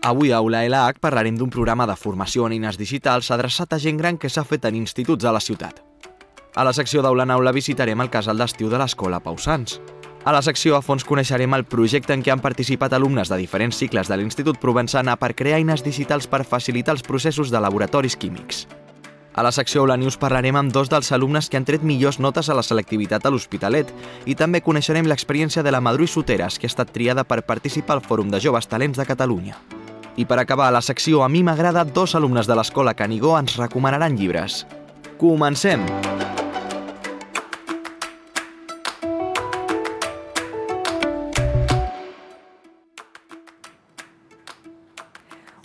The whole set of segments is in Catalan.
Avui a Aula LH parlarem d'un programa de formació en eines digitals adreçat a gent gran que s'ha fet en instituts de la ciutat. A la secció d'Aula en Aula visitarem el casal d'estiu de l'Escola Pau Sans. A la secció a fons coneixerem el projecte en què han participat alumnes de diferents cicles de l'Institut Provençana per crear eines digitals per facilitar els processos de laboratoris químics. A la secció Aula News parlarem amb dos dels alumnes que han tret millors notes a la selectivitat a l'Hospitalet i també coneixerem l'experiència de la Madrui Soteras, que ha estat triada per participar al Fòrum de Joves Talents de Catalunya. I per acabar la secció A mi m'agrada, dos alumnes de l'Escola Canigó ens recomanaran llibres. Comencem!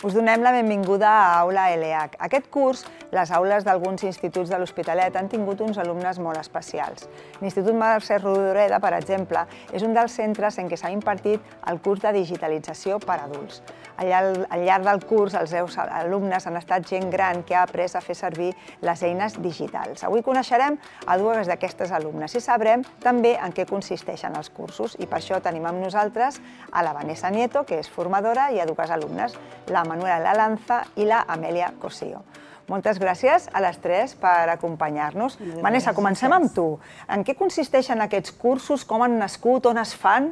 Us donem la benvinguda a Aula LH. Aquest curs, les aules d'alguns instituts de l'Hospitalet han tingut uns alumnes molt especials. L'Institut Mercè Rodoreda, per exemple, és un dels centres en què s'ha impartit el curs de digitalització per a adults. Al llarg del curs, els seus alumnes han estat gent gran que ha après a fer servir les eines digitals. Avui coneixerem a dues d'aquestes alumnes i sabrem també en què consisteixen els cursos. I per això tenim amb nosaltres a la Vanessa Nieto, que és formadora, i a dues alumnes, la Manuela Lalanza i la Amèlia Cosío. Moltes gràcies a les tres per acompanyar-nos. Vanessa, comencem amb tu. En què consisteixen aquests cursos? Com han nascut? On es fan?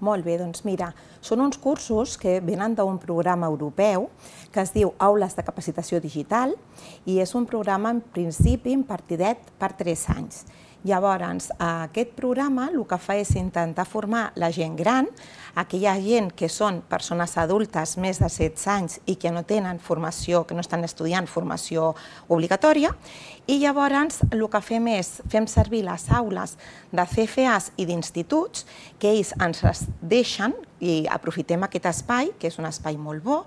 Molt bé, doncs mira, són uns cursos que venen d'un programa europeu que es diu Aules de Capacitació Digital i és un programa en principi impartidet per 3 anys. Llavors, aquest programa el que fa és intentar formar la gent gran, aquella gent que són persones adultes més de 16 anys i que no tenen formació, que no estan estudiant formació obligatòria, i llavors el que fem servir les aules de CFAs i d'instituts, que ells ens les deixen i aprofitem aquest espai, que és un espai molt bo,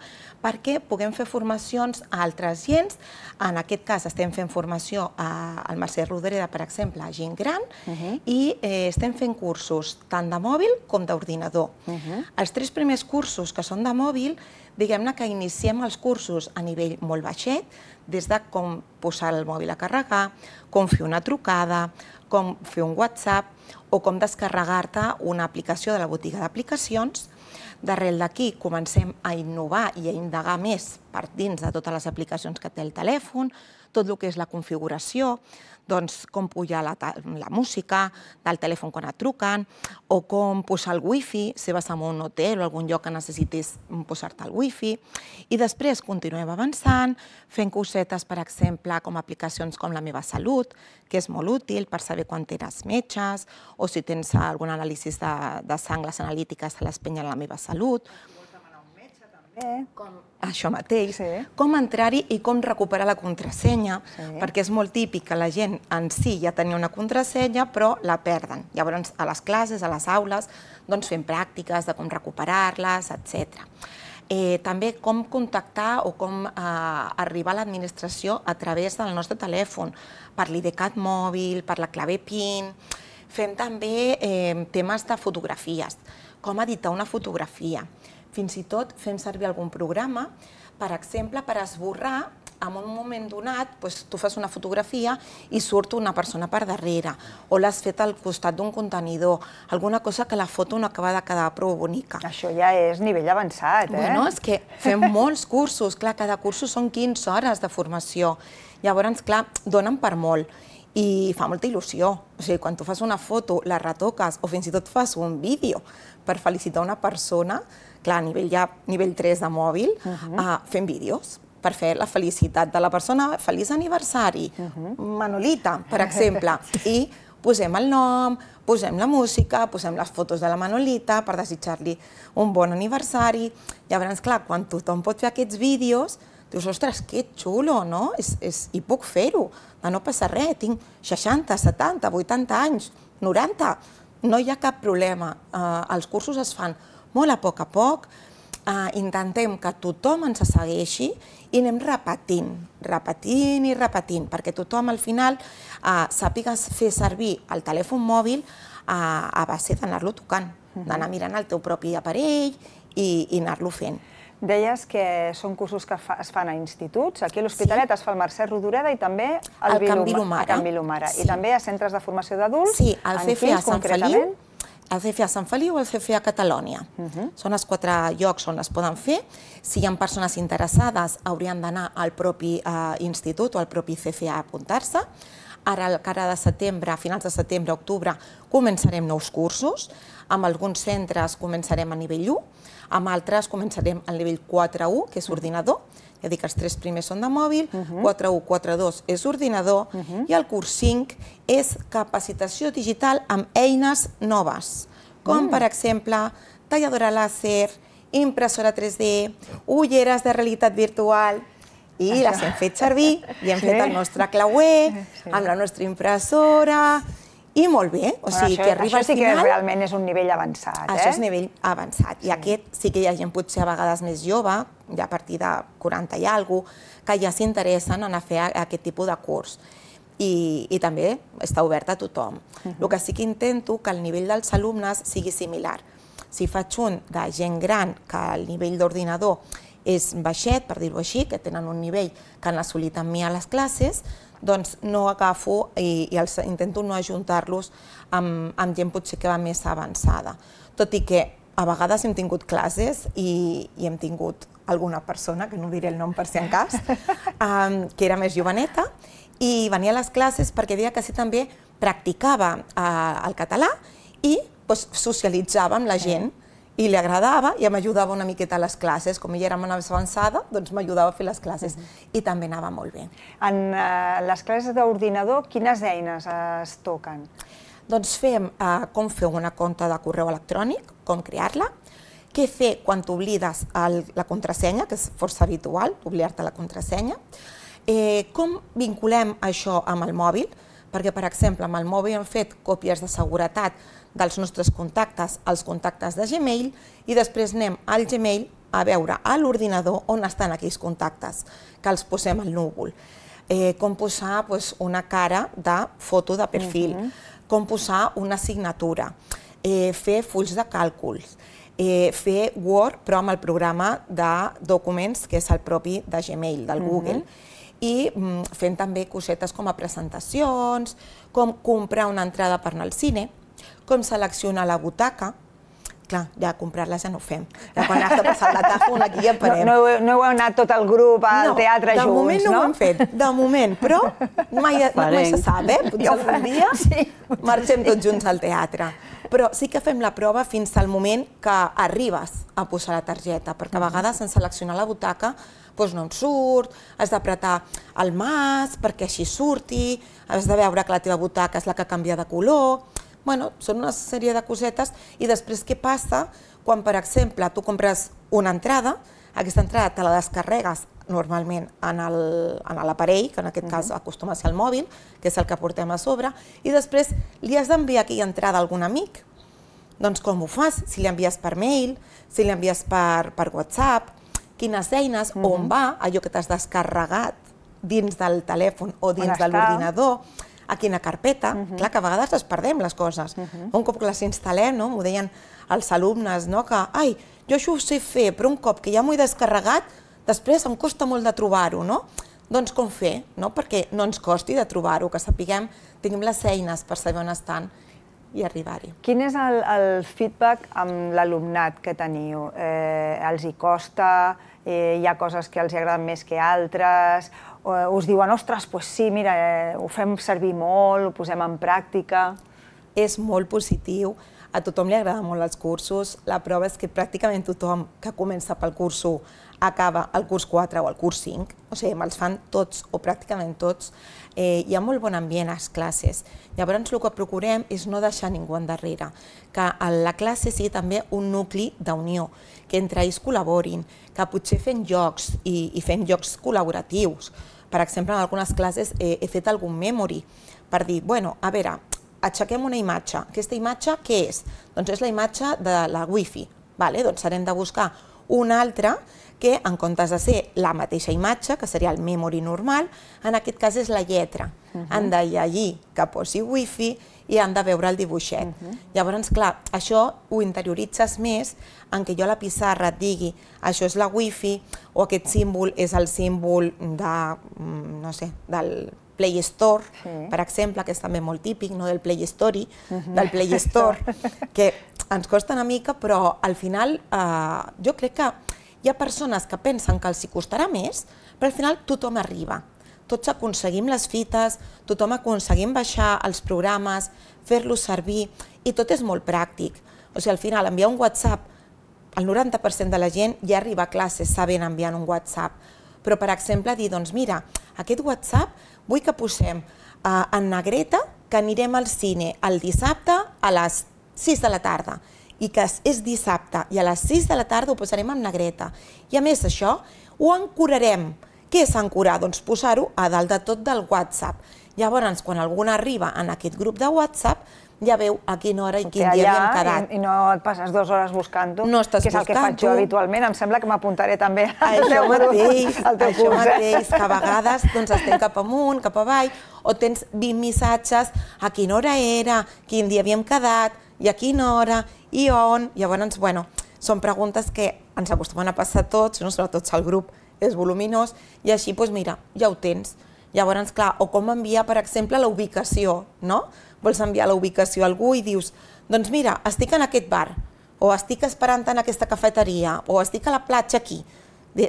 perquè puguem fer formacions a altres gens. En aquest cas estem fent formació al Mercè Rodoreda, per exemple, a gent gran, i estem fent cursos tant de mòbil com d'ordinador. Els 3 primers cursos que són de mòbil, diguem-ne que iniciem els cursos a nivell molt baixet, des de com posar el mòbil a carregar, com fer una trucada, com fer un WhatsApp o com descarregar-te una aplicació de la botiga d'aplicacions. Darrere d'aquí comencem a innovar i a indagar més per dins de totes les aplicacions que té el telèfon, tot el que és la configuració, doncs com pujar la música del telèfon quan et truquen, o com posar el wifi, si vas a un hotel o algun lloc que necessitis posar-te el wifi. I després continuem avançant, fent cosetes, per exemple, com aplicacions com La meva salut, que és molt útil per saber quan tens metges, o si tens algun anàlisi de sang, les analítiques se les pengen a La meva salut. Això mateix, com entrar-hi i com recuperar la contrasenya, perquè és molt típic que la gent en si ja tenia una contrasenya però la perden. Llavors a les classes, a les aules, fem pràctiques de com recuperar-les, etc. També com contactar o com arribar a l'administració a través del nostre telèfon, per l'IDCAT mòbil, per la clave PIN. Fem també temes de fotografies, com editar una fotografia. Fins i tot fem servir algun programa, per exemple, per esborrar, en un moment donat, tu fas una fotografia i surt una persona per darrere, o l'has fet al costat d'un contenidor, alguna cosa que la foto no acaba de quedar prou bonica. Això ja és nivell avançat, eh? Bueno, és que fem molts cursos, clar, cada cursos són 15 hores de formació. Llavors, clar, donen per molt. I fa molta il·lusió. O sigui, quan tu fas una foto, la retoques o fins i tot fas un vídeo per felicitar una persona, clar, nivell 3 de mòbil, fem vídeos per fer la felicitat de la persona. Feliç aniversari, Manolita, per exemple. I posem el nom, posem la música, posem les fotos de la Manolita per desitjar-li un bon aniversari. Llavors, clar, quan tothom pot fer aquests vídeos, dius, ostres, que xulo, no? I puc fer-ho, no passa res, tinc 60, 70, 80 anys, 90, no hi ha cap problema. Els cursos es fan molt a poc, intentem que tothom ens segueixi i anem repetint, perquè tothom al final sàpiga fer servir el telèfon mòbil a base d'anar-lo tocant, d'anar mirant el teu propi aparell i anar-lo fent. Deies que són cursos que es fan a instituts. Aquí a l'Hospitalet es fa al Mercè Rodoreda i també al Can Vilomara. I també a centres de formació d'adults. Sí, al CFA Sant Feliu el CFA Sant Feliu o el CFA Catalònia. Són els 4 llocs on es poden fer. Si hi ha persones interessades, haurien d'anar al propi institut o al propi CFA a apuntar-se. Ara, a cara de setembre, a finals de setembre, octubre, començarem nous cursos. Amb alguns centres començarem a nivell 1, amb altres començarem al nivell 4.1, que és ordinador. Ja dic que els 3 primers són de mòbil, 4.1, 4.2 és ordinador, i el curs 5 és capacitació digital amb eines noves, com per exemple talladora làser, impressora 3D, ulleres de realitat virtual, i les hem fet servir, i hem fet el nostre clauer, amb la nostra impressora, i molt bé. O sigui, que arriba al final... Això sí que realment és un nivell avançat, Això és nivell avançat. I aquest sí que hi ha gent potser a vegades més jove, ja a partir de 40 i alguna cosa, que ja s'interessen en fer aquest tipus de curs. I també està obert a tothom. El que sí que intento que el nivell dels alumnes sigui similar. Si faig un de gent gran, que el nivell d'ordinador és baixet, per dir-ho així, que tenen un nivell que han assolit amb mi a les classes, doncs no agafo i intento no ajuntar-los amb gent potser que va més avançada. Tot i que a vegades hem tingut classes i hem tingut alguna persona, que no diré el nom per si en cas, que era més joveneta, i venia a les classes perquè deia que sí també practicava el català i socialitzava amb la gent, i li agradava i m'ajudava una miqueta a les classes. Com ella era més avançada, doncs m'ajudava a fer les classes i també anava molt bé. En les classes d'ordinador, quines eines es toquen? Doncs fem com fer una compte de correu electrònic, com crear-la, què fer quan t'oblides la contrasenya, que és força habitual, oblidar-te la contrasenya, com vinculem això amb el mòbil, perquè, per exemple, amb el mòbil hem fet còpies de seguretat dels nostres contactes als contactes de Gmail i després anem al Gmail a veure a l'ordinador on estan aquells contactes, que els posem al núvol. Com posar una cara de foto de perfil, com posar una signatura, fer fulls de càlculs, fer Word però amb el programa de documents que és el propi de Gmail, del Google, i fent també cosetes com a presentacions, com comprar una entrada per anar al cine, com seleccionar la butaca. Clar, ja comprar-la ja no ho fem. Ja quan has de passar la tàfon aquí ja parem. No heu anat tot el grup al teatre junts, no? De moment no ho hem fet, de moment, però mai se sap, potser algun dia marxem tots junts al teatre. Però sí que fem la prova fins al moment que arribes a posar la targeta, perquè a vegades en seleccionar la butaca no en surt, has d'apretar el mas perquè així surti, has de veure que la teva butaca és la que canvia de color. Són una sèrie de cosetes i després què passa quan, per exemple, tu compres una entrada, aquesta entrada te la descarregues normalment en l'aparell, que en aquest cas acostuma a ser el mòbil, que és el que portem a sobre, i després li has d'enviar aquella entrada a algun amic. Doncs com ho fas? Si l'envies per mail, si l'envies per WhatsApp, quines eines, on va allò que t'has descarregat dins del telèfon o dins de l'ordinador, a quina carpeta. Clar, que a vegades les perdem, les coses. Un cop que les instal·lem, m'ho deien els alumnes, que jo això ho sé fer, però un cop que ja m'ho he descarregat, després em costa molt de trobar-ho, no? Doncs com fer, perquè no ens costi de trobar-ho, que sapiguem, tinguem les eines per saber on estan i arribar-hi. Quin és el feedback amb l'alumnat que teniu? Els hi costa? Hi ha coses que els agraden més que altres? Us diuen, ostres, doncs sí, mira, ho fem servir molt, ho posem en pràctica? És molt positiu, a tothom li agraden molt els cursos, la prova és que pràcticament tothom que comença pel curs 1 acaba el curs 4 o el curs 5, o sigui, me'ls fan tots o pràcticament tots, hi ha molt bon ambient a les classes. Llavors el que procurem és no deixar ningú endarrere, que la classe sigui també un nucli d'unió, que entre ells col·laborin, que potser fem jocs i fem jocs col·laboratius. Per exemple, en algunes classes he fet algun memory per dir, a veure, aixequem una imatge. Aquesta imatge què és? Doncs és la imatge de la Wi-Fi. Doncs haurem de buscar una altra que, en comptes de ser la mateixa imatge, que seria el memory normal, en aquest cas és la lletra. Han de llegir que posi Wi-Fi i han de veure el dibuixet. Llavors, clar, això ho interioritzes més en què jo a la pissarra et digui això és la Wi-Fi o aquest símbol és el símbol de, no sé, del Play Store, per exemple, que és també molt típic, no del Play Story, del Play Store, que ens costa una mica, però al final jo crec que hi ha persones que pensen que els hi costarà més, però al final tothom arriba. Tots aconseguim les fites, tothom aconseguim baixar els programes, fer-los servir, i tot és molt pràctic. O sigui, al final, enviar un WhatsApp, el 90% de la gent ja arriba a classe sabent enviar un WhatsApp. Però, per exemple, dir, doncs mira, aquest WhatsApp vull que posem en negreta que anirem al cine el dissabte a les 6 de la tarda i que és dissabte i a les 6 de la tarda ho posarem en negreta. I a més això, ho ancorarem. Què és ancorar? Doncs posar-ho a dalt de tot del WhatsApp. Llavors, quan algú arriba en aquest grup de WhatsApp, ja veu a quina hora i quin dia havíem quedat. I no et passes 2 hores buscant-ho, no estàs que és el que faig jo habitualment. Em sembla que m'apuntaré també al teu curs. Això mateix, que a vegades estem cap amunt, cap avall, o tens 20 missatges, a quina hora era, quin dia havíem quedat, i a quina hora, i on. Llavors, bueno, són preguntes que ens acostumen a passar tots, sobretot si el grup és voluminós, i així, doncs mira, ja ho tens. Llavors, clar, o com enviar, per exemple, la ubicació, no? Vols enviar la ubicació a algú i dius, doncs mira, estic en aquest bar, o estic esperant en aquesta cafeteria, o estic a la platja aquí.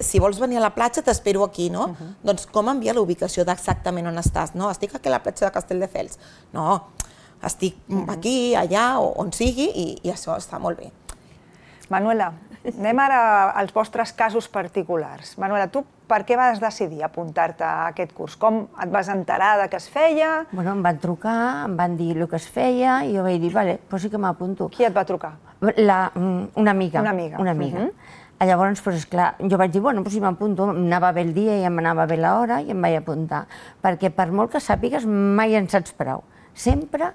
Si vols venir a la platja, t'espero aquí, no? Doncs com enviar la ubicació d'exactament on estàs? No, estic aquí a la platja de Castelldefels. No, estic aquí, allà, on sigui, i això està molt bé. Manuela, anem ara als vostres casos particulars. Manuela, tu per què vas decidir apuntar-te a aquest curs? Com et vas enterar de què es feia? Bueno, em van trucar, em van dir el que es feia i jo vaig dir, vale, doncs sí que m'apunto. Qui et va trucar? Una amiga. Una amiga. Llavors, doncs esclar, jo vaig dir, bueno, doncs si m'apunto, em anava bé el dia i em anava bé l'hora i em vaig apuntar. Perquè per molt que sàpigues, mai en saps prou. Sempre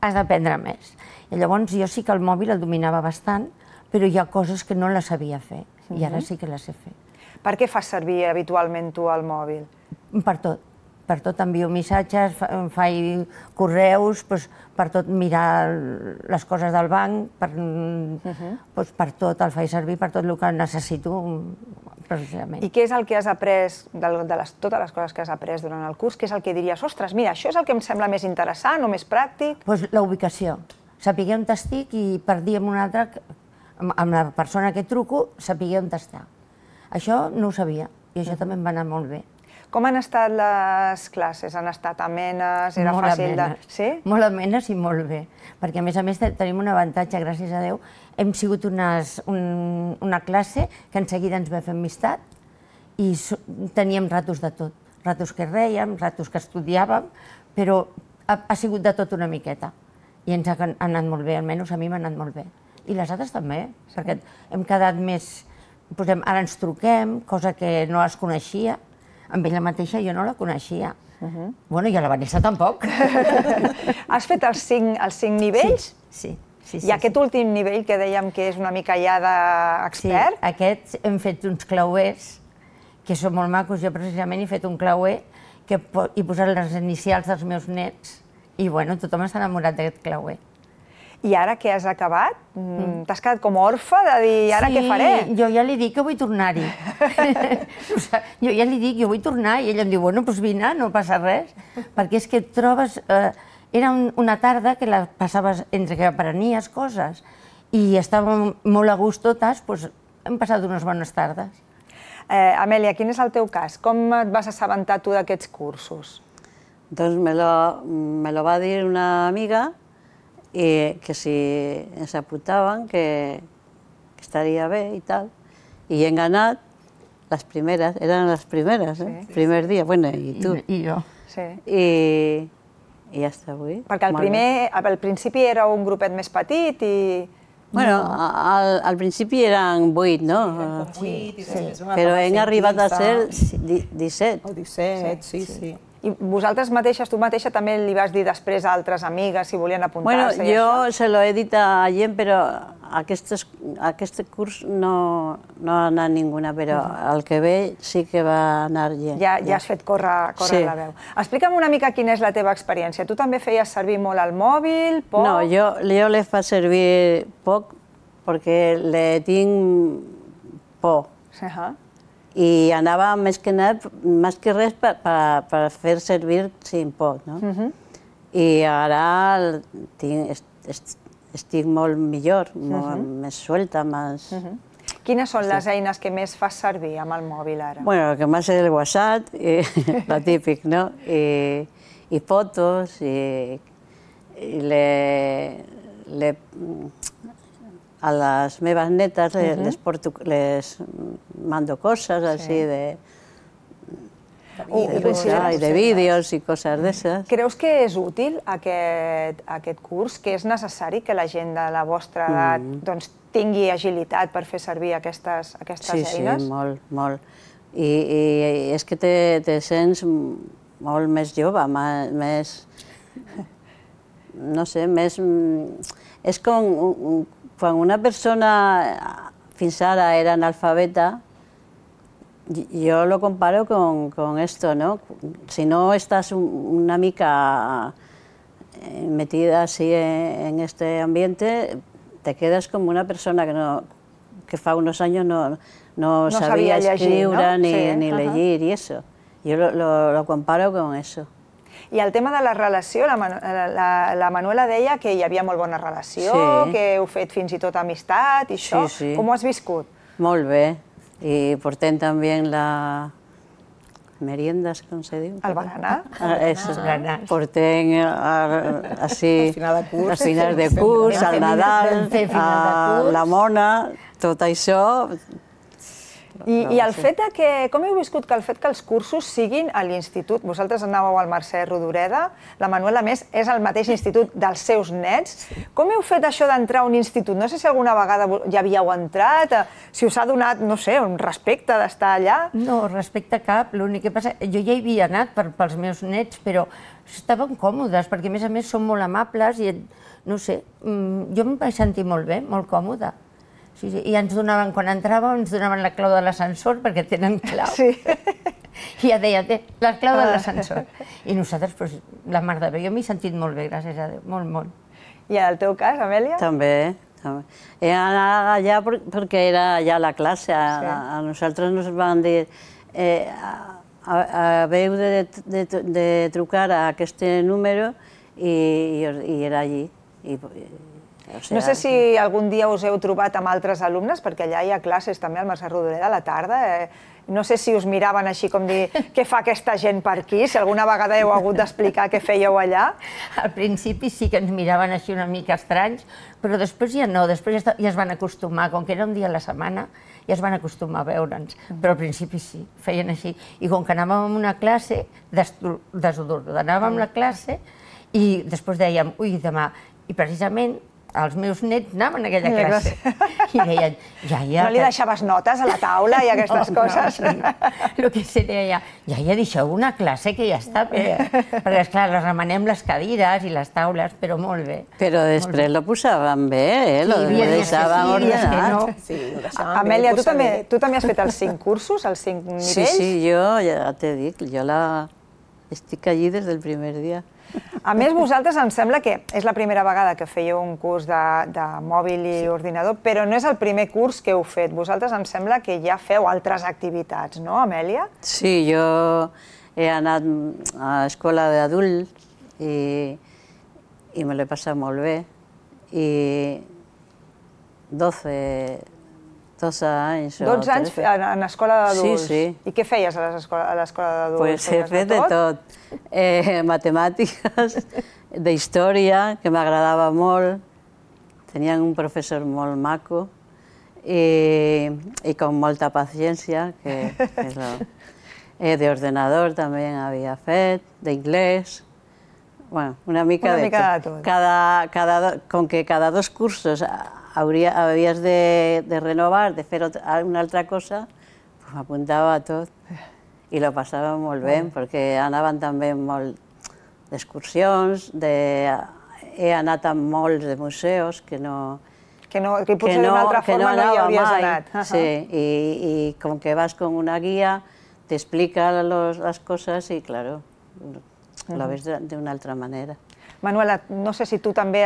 has d'aprendre més. I llavors jo sí que el mòbil el dominava bastant, però hi ha coses que no les sabia fer, i ara sí que les sé fer. Per què fas servir habitualment tu el mòbil? Per tot envio missatges, faig correus, per tot mirar les coses del banc, per tot el faig servir, per tot el que necessito, precisament. I què és el que has après, de totes les coses que has après durant el curs, què és el que diries, ostres, mira, això és el que em sembla més interessant o més pràctic? Doncs la ubicació. Saber on estic i per dir amb un altre, amb la persona que truco, saber on està. Això no ho sabia i això també em va anar molt bé. Com han estat les classes? Han estat amenes? Era fàcil de... Sí? Molt amenes i molt bé, perquè a més tenim un avantatge, gràcies a Déu. Hem sigut una classe que en seguida ens va fer amistat i teníem ratos de tot. Ratos que rèiem, ratos que estudiàvem, però ha sigut de tot una miqueta. I ens ha anat molt bé, almenys a mi m'ha anat molt bé. I les altres també, perquè hem quedat més... Ara ens truquem, cosa que no es coneixia. Amb ella mateixa jo no la coneixia. Bueno, i a la Vanessa tampoc. Has fet els 5 nivells? Sí. I aquest últim nivell que dèiem que és una mica ja d'expert? Sí, aquests hem fet uns clauers que són molt macos. Jo precisament he fet un clauer que he posat les inicials dels meus nets i bueno, tothom està enamorat d'aquest clauer. I ara que has acabat, t'has quedat com orfe de dir, ara què faré? Sí, jo ja li dic que vull tornar-hi. Jo ja li dic, jo vull tornar, i ella em diu, bueno, doncs vine, no passa res. Perquè és que et trobes... Era una tarda que la passaves entre que aprenies coses i estàvem molt a gust totes, doncs hem passat unes bones tardes. Amèlia, quin és el teu cas? Com et vas assabentar tu d'aquests cursos? Doncs me lo va dir una amiga i que si ens apuntaven que estaria bé i tal. I hem anat les primeres, eren les primeres, el primer dia, bueno, i tu. I jo. Sí. I ja està avui. Perquè al principi era un grupet més petit i... Bueno, al principi eren 8, no? Sí, però hem arribat a ser 17. O 17, sí. I vosaltres mateixes, tu mateixa també li vas dir després a altres amigues si volien apuntar-se? Bueno, jo se lo he dit a gent, però aquest curs no ha anat ninguna, però el que ve sí que va anar gent. Ja has fet córrer la veu. Explica'm una mica quina és la teva experiència. Tu també feies servir molt el mòbil, poc? No, jo le faig servir poc perquè le tinc por. I anava més que res per fer servir sin pot, no? I ara estic molt millor, més suelta, més... Quines són les eines que més fas servir amb el mòbil ara? Bueno, lo que más es el WhatsApp, lo típico, ¿no? Y fotos, y a las meves netas les mando cosas así de vídeos y cosas de esas. Creus que és útil aquest curs, que és necessari que la gent de la vostra edat tingui agilitat per fer servir aquestes eines? Sí, molt, molt. I és que te sents molt més jove, més... No sé, més... És com quan una persona fins ara era analfabeta, yo lo comparo con esto, ¿no? Si no estás una mica metida así en este ambiente, te quedas como una persona que fa unos años no sabía escriure ni leer y eso. Yo lo comparo con eso. I el tema de la relació, la Manuela deia que hi havia molt bona relació, que heu fet fins i tot amistat i això. Com ho has viscut? Molt bé. I portem també la meriendas, com se diu? El berenar? Eso. Portem així, els finals de curs, al Nadal, a la Mona, tot això. I el fet que, com heu viscut que el fet que els cursos siguin a l'institut, vosaltres anàveu al Mercè Rodoreda, la Manuela a més és al mateix institut dels seus nets, com heu fet això d'entrar a un institut? No sé si alguna vegada ja havíeu entrat, si us ha donat, no sé, un respecte d'estar allà? No, respecte cap, l'únic que passa, jo ja hi havia anat pels meus nets, però estaven còmodes, perquè a més són molt amables i, no sé, jo em vaig sentir molt bé, molt còmoda. I ens donaven, quan entràvem, ens donaven la clau de l'ascensor, perquè tenen clau. I ja deia, la clau de l'ascensor. I nosaltres, la mar de bé, jo m'he sentit molt bé, gràcies a Déu, molt, molt. I en el teu cas, Amèlia? També. He anat allà perquè era allà la classe. A nosaltres ens van dir haveu de trucar a aquest número i era allí. No sé si algun dia us heu trobat amb altres alumnes, perquè allà hi ha classes també al Mercè Rodoreda a la tarda. No sé si us miraven així com dir què fa aquesta gent per aquí, si alguna vegada heu hagut d'explicar què fèieu allà. Al principi sí que ens miraven així una mica estranys, però després ja no, després ja es van acostumar, com que era un dia a la setmana, ja es van acostumar a veure'ns, però al principi sí, feien així. I com que anàvem a una classe, desordenàvem la classe i després dèiem, ui, demà, i precisament els meus nets anaven a aquella classe i deien, iaia... No li deixaves notes a la taula i aquestes coses? El que se deia, iaia, deixeu una classe que ja està bé. Perquè, esclar, les remenem les cadires i les taules, però molt bé. Però després lo posaven bé, lo deixaven ordenat. Amèlia, tu també has fet els 5 cursos, els 5 nivells? Sí, jo ja t'he dit, jo estic allí des del primer dia. A més, vosaltres em sembla que és la primera vegada que fèieu un curs de mòbil i ordinador, però no és el primer curs que heu fet. Vosaltres em sembla que ja feu altres activitats, no, Amèlia? Sí, jo he anat a escola d'adults i me l'he passat molt bé. I 12 anys. 12 anys en escola d'adults? Sí, sí. I què feies a l'escola d'adults? Pues he fet de tot. Matemàtiques, d'història, que m'agradava molt. Tenien un professor molt maco i con molta paciència. D'ordenador també havia fet, d'inglès. Bueno, una mica de tot. Com que cada 2 cursos havies de renovar, de fer una altra cosa, m'apuntava a tot i lo passava molt bé, perquè anaven també molt d'excursions, he anat a molts de museus que potser d'una altra forma no hi hauries anat. Sí, i com que vas con una guia, t'explica les coses i, claro, lo ves d'una altra manera. Manuela, no sé si tu també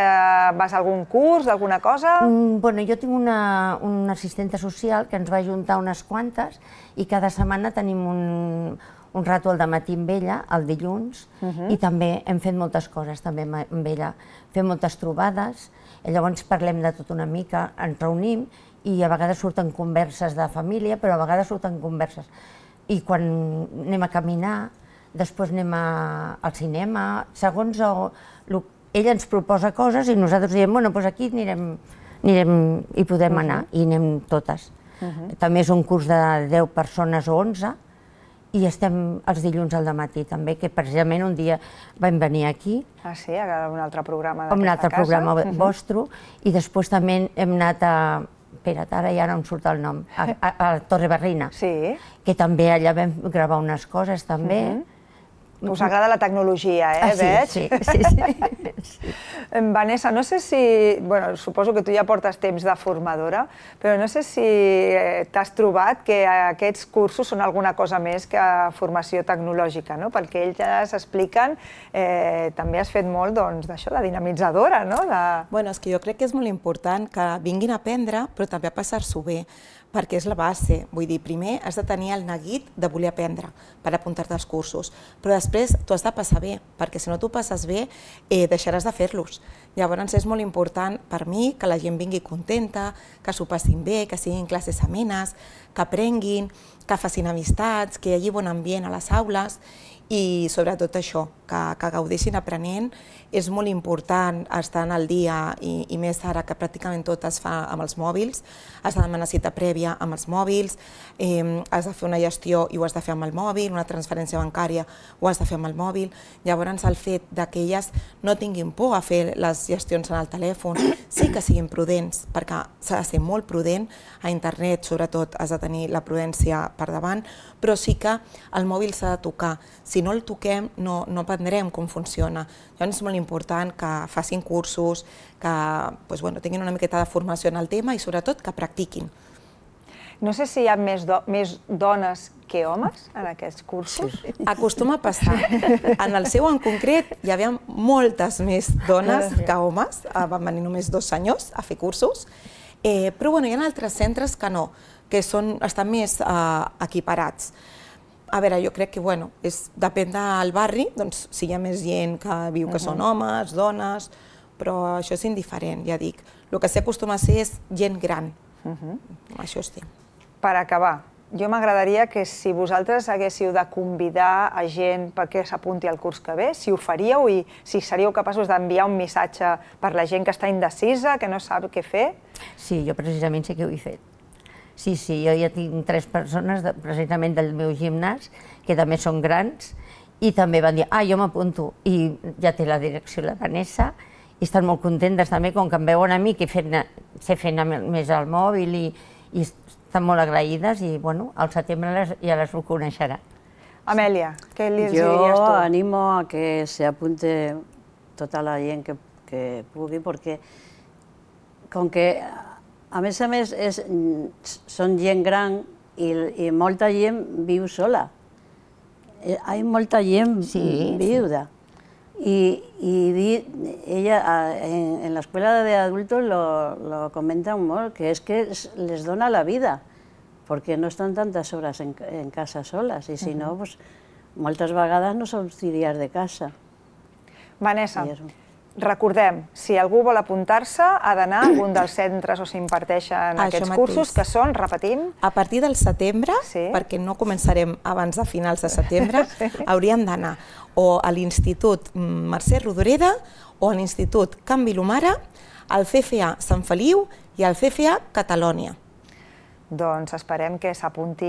vas a algun curs d'alguna cosa? Bueno, jo tinc una assistenta social que ens va ajuntar unes quantes i cada setmana tenim un rato al dematí amb ella, el dilluns, i també hem fet moltes coses també amb ella. Fem moltes trobades, i llavors parlem de tot una mica, ens reunim i a vegades surten converses de família, però a vegades surten converses. I quan anem a caminar, després anem al cinema, segons ella ens proposa coses i nosaltres diem, bueno, doncs aquí anirem i podem anar, i anem totes. També és un curs de 10 persones o 11, i estem els dilluns al dematí també, que precisament un dia vam venir aquí. Ah, sí? A un altre programa d'aquesta casa? Un altre programa vostre, i després també hem anat a... Espera't, ara ja no em surt el nom, a Torrebarrina, que també allà vam gravar unes coses també. Us agrada la tecnologia, veig? Sí. Vanessa, no sé si... Bueno, suposo que tu ja portes temps de formadora, però no sé si t'has trobat que aquests cursos són alguna cosa més que formació tecnològica, no? Pel que ells ja s'expliquen, també has fet molt d'això, de dinamitzadora, no? Bueno, és que jo crec que és molt important que vinguin a aprendre, però també a passar-s'ho bé, perquè és la base. Vull dir, primer has de tenir el neguit de voler aprendre per apuntar-te als cursos, però després t'ho has de passar bé, perquè si no t'ho passes bé deixaràs de fer-los. Llavors és molt important per mi que la gent vingui contenta, que s'ho passin bé, que siguin classes amenes, que aprenguin, que facin amistats, que hi hagi bon ambient a les aules i sobretot això, que gaudeixin aprenent. És molt important estar al dia i més ara que pràcticament tot es fa amb els mòbils, has de demanar cita prèvia amb els mòbils, has de fer una gestió i ho has de fer amb el mòbil, una transferència bancària ho has de fer amb el mòbil. Llavors el fet que elles no tinguin por a fer les gestions en el telèfon, sí que siguin prudents, perquè s'ha de ser molt prudent, a internet sobretot has de tenir la prudència per davant, però sí que el mòbil s'ha de tocar. Si no el toquem no aprendrem com funciona. Llavors és molt important que facin cursos, que tinguin una miqueta de formació en el tema i sobretot que practiquin. No sé si hi ha més dones que homes en aquests cursos. Acostuma a passar. En el seu en concret hi havia moltes més dones que homes, van venir només 2 senyors a fer cursos, però hi ha altres centres que no, que estan més equiparats. A veure, jo crec que depèn del barri, doncs si hi ha més gent que viu que són homes, dones, però això és indiferent, ja dic. El que s'acostuma a ser és gent gran, això sí. Per acabar, jo m'agradaria que si vosaltres haguéssiu de convidar a gent perquè s'apunti al curs que ve, si ho faríeu i si seríeu capaços d'enviar un missatge per la gent que està indecisa, que no sap què fer. Sí, jo precisament sí que ho he fet. Sí, jo ja tinc 3 persones precisament del meu gimnàs que també són grans i també van dir, jo m'apunto, i ja té la direcció la Vanessa i estan molt contentes també, com que em veuen a mi que sé fer més al mòbil i estan molt agraïdes i al setembre ja les ho coneixerà. Amèlia, què els diries tu? Jo animo a que se apunte tota la gent que pugui, perquè com que a més, són gent gran i molta gent viu sola. Hi ha molta gent viuda. Y ella en la escuela de adultos lo comentan molt, que es que les dona la vida, perquè no estan tantes hores en casa soles, i si no, moltes vegades no sortiries de casa. Vanessa, recordem, si algú vol apuntar-se, ha d'anar a algun dels centres on s'imparteixen aquests cursos, que són, repetim... A partir del setembre, perquè no començarem abans de finals de setembre, hauríem d'anar o a l'Institut Mercè Rodoreda o a l'Institut Can Vilomara, al CFA Sant Feliu i al CFA Catalònia. Doncs esperem que s'apunti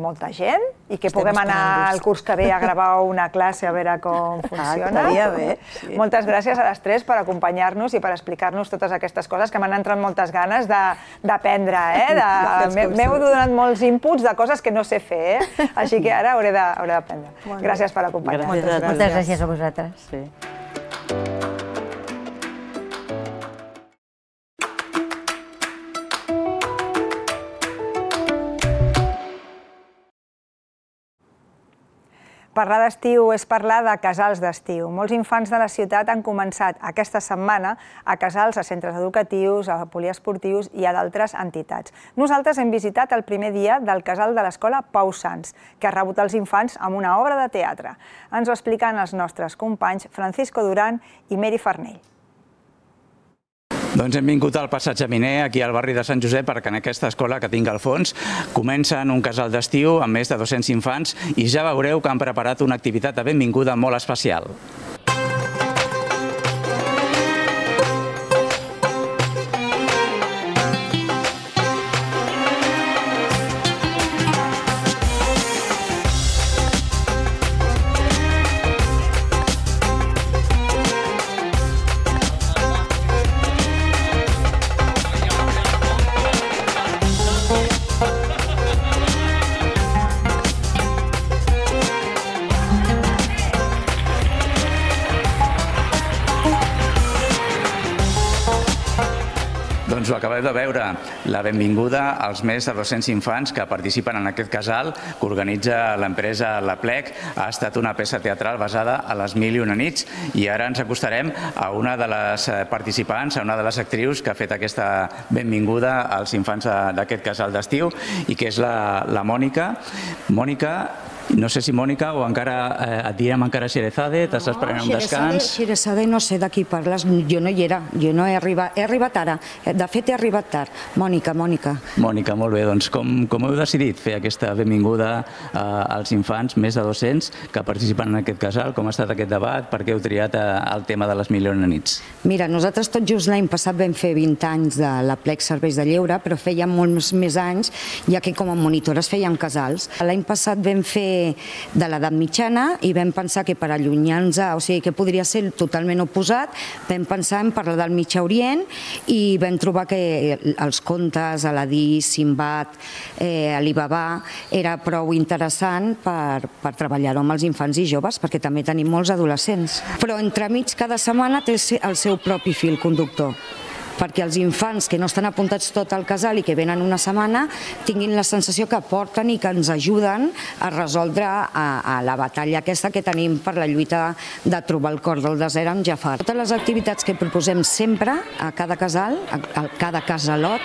molta gent i que puguem anar al curs que ve a gravar una classe a veure com funciona. Estaria bé. Moltes gràcies a les 3 per acompanyar-nos i per explicar-nos totes aquestes coses que m'han entrat moltes ganes d'aprendre. M'heu donat molts inputs de coses que no sé fer, així que ara hauré d'aprendre. Gràcies per acompanyar-nos. Moltes gràcies a vosaltres. Parlar d'estiu és parlar de casals d'estiu. Molts infants de la ciutat han començat aquesta setmana a casals, a centres educatius, a poliesportius i a d'altres entitats. Nosaltres hem visitat el primer dia del casal de l'escola Pau Sans, que ha rebut els infants amb una obra de teatre. Ens ho expliquen els nostres companys Francisco Duran i Meri Farnell. Doncs hem vingut al Passatge Miner, aquí al barri de Sant Josep, perquè en aquesta escola que tinc al fons comencen un casal d'estiu amb més de 200 infants i ja veureu que han preparat una activitat de benvinguda molt especial. Doncs ho acabeu de veure, la benvinguda als més de 200 infants que participen en aquest casal que organitza l'empresa La Plec. Ha estat una peça teatral basada a les 1001 nits i ara ens acostarem a una de les participants, a una de les actrius que ha fet aquesta benvinguda als infants d'aquest casal d'estiu i que és la Mònica. Mònica, no sé si Mònica o encara et direm encara Xerezade, t'estàs prenent un descans? Xerezade no sé de qui parles, jo no hi era, jo no he arribat ara, de fet he arribat tard. Mònica. Mònica, molt bé, doncs com heu decidit fer aquesta benvinguda als infants, més de 200, que participen en aquest casal? Com ha estat aquest debat? Per què heu triat el tema de les 1001 nits? Mira, nosaltres tot just l'any passat vam fer 20 anys de la Plec Serveis de Lleure, però fèiem molts més anys, ja que com a monitores fèiem casals. L'any passat vam fer de l'edat mitjana i vam pensar que per allunyar-nos, o sigui que podria ser totalment oposat, vam pensar en parlar del Mitjà Orient i vam trobar que els contes, Aladí, Simbad, Alibaba, era prou interessant per treballar-ho amb els infants i joves, perquè també tenim molts adolescents. Però entremig cada setmana té el seu propi fil conductor, perquè els infants que no estan apuntats tot al casal i que venen una setmana tinguin la sensació que aporten i que ens ajuden a resoldre a la batalla aquesta que tenim per la lluita de trobar el cor del desert amb Jafar. Totes les activitats que proposem sempre a cada casal, a cada casalot,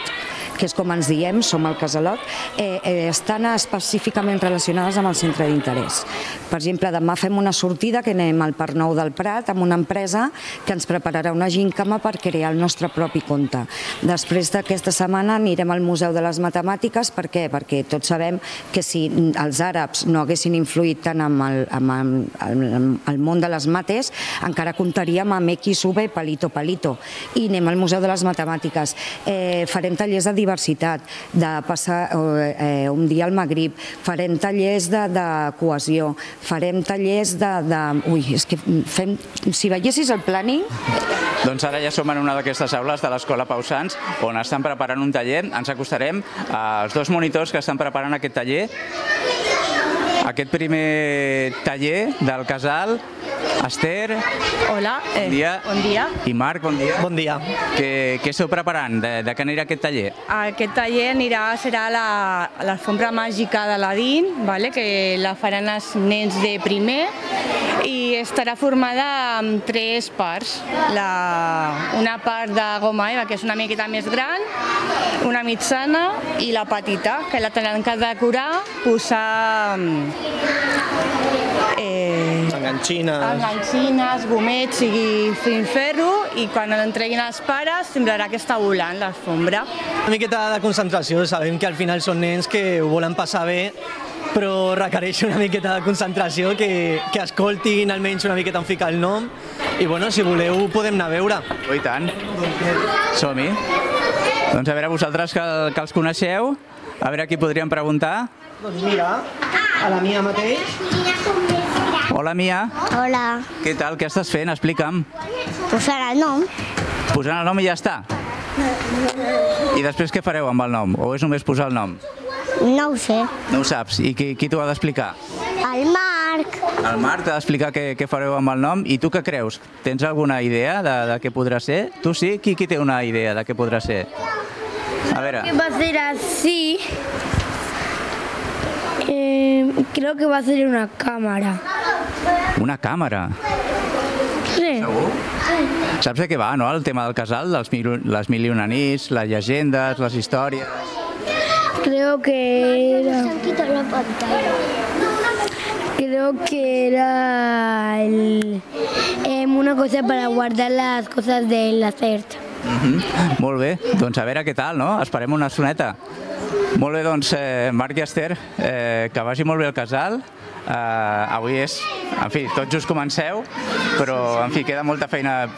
que és com ens diem, som el casalot, estan específicament relacionades amb el centre d'interès. Per exemple, demà fem una sortida que anem al Parc Nou del Prat amb una empresa que ens prepararà una gimcana per crear el nostre propi conte. Després d'aquesta setmana anirem al Museu de les Matemàtiques. Per què? Perquè tots sabem que si els àrabs no haguessin influït tant amb el món de les mates, encara comptaríem amb X, V, palito. I anem al Museu de les Matemàtiques. Farem tallers de diversitat, de passar un dia al Magrib, farem tallers de cohesió, farem tallers de... Ui, és que fem... Si veiessis el planning... Doncs ara ja som en una d'aquestes aules de l'Escola Pau Sans, on estan preparant un taller. Ens acostarem als dos monitors que estan preparant aquest taller. Aquest primer taller del casal. Esther. Hola. Bon dia. Bon dia. I Marc, bon dia. Bon dia. Què esteu preparant? De què anirà aquest taller? Aquest taller serà l'alfombra màgica d'Aladín, que la faran els nens de primer i estarà formada amb 3 parts. Una part de goma eva, que és una miqueta més gran, una mitjana i la petita, que la tenen que decorar, posar enganxines, gomets i filferro, i quan l'entreguin els pares semblarà que està volant l'alfombra. Una miqueta de concentració, sabem que al final són nens que ho volen passar bé, però requereix una miqueta de concentració, que escoltin almenys una miqueta on fica el nom, i bueno, si voleu podem anar a veure. Oh, i tant. Som-hi. Doncs a veure, vosaltres que els coneixeu, a veure qui podríem preguntar. Doncs mira, a la Mia mateix. Hola, Mia. Hola. Què tal? Què estàs fent? Explica'm. Posant el nom. Posant el nom i ja està? I després què fareu amb el nom? O és només posar el nom? No ho sé. No ho saps? I qui t'ho ha d'explicar? El Marc. El Marc t'ha d'explicar què fareu amb el nom. I tu què creus? Tens alguna idea de què podrà ser? Tu sí? Qui té una idea de què podrà ser? A veure. Que va a ser así. Creo que va a ser una cámara. Una càmera? Sí. Segur? Saps de què va, no?, el tema del casal, les mil i una nits, les llegendes, les històries... Creo que era... la pantalla. Creo que era una cosa para guardar las cosas del hacer. Molt bé, doncs a veure què tal, no? Esperem una estoneta. Molt bé, doncs, Marc i Esther, que vagi molt bé el casal. Avui és, en fi, tot just comenceu, però, en fi, queda molta feina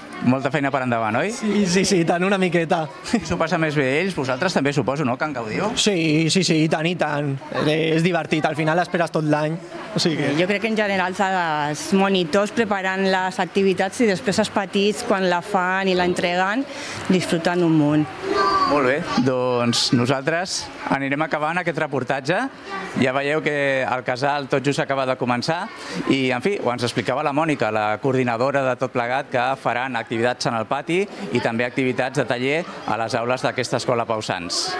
per endavant, oi? Sí, tant, una miqueta. S'ho passa més bé ells, vosaltres també suposo, no?, que en gaudiu? Sí, i tant. És divertit, al final esperes tot l'any. Jo crec que en general els monitors preparant les activitats i després els petits, quan la fan i l'entreguen, disfruten un munt. Molt bé, doncs nosaltres anirem acabant aquest reportatge. Ja veieu que el casal tot just acaba de començar i, en fi, ho ens explicava la Mònica, la coordinadora de tot plegat, que faran activitats en el pati i també activitats de taller a les aules d'aquesta escola Pausans.